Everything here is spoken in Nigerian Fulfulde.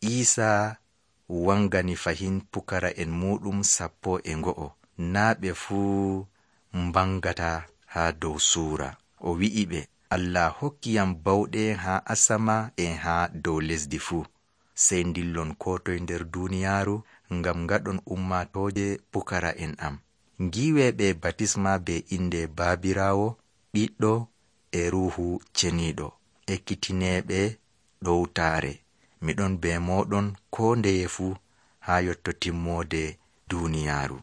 Iisa wangani fahin pukara en muɗum 11 naa ɓe fuu mbangata haa dow suura. O wi'i ɓe, Allah hokkiyam bawɗe haa asama en haa dow lesdi fuu. Sey ndillon ko toy nder duniyaaru ngam ngaɗon ummatooje pukara en am. Ngiweeɓe batisma be inde Baabiraawo, Ɓiɗɗo e Ruuhu Ceniiɗo. Ekkitineeɓe ɗowtaare. Miɗon be mooɗon ko ndeye fuu haa yotto timmoode duniyaaru.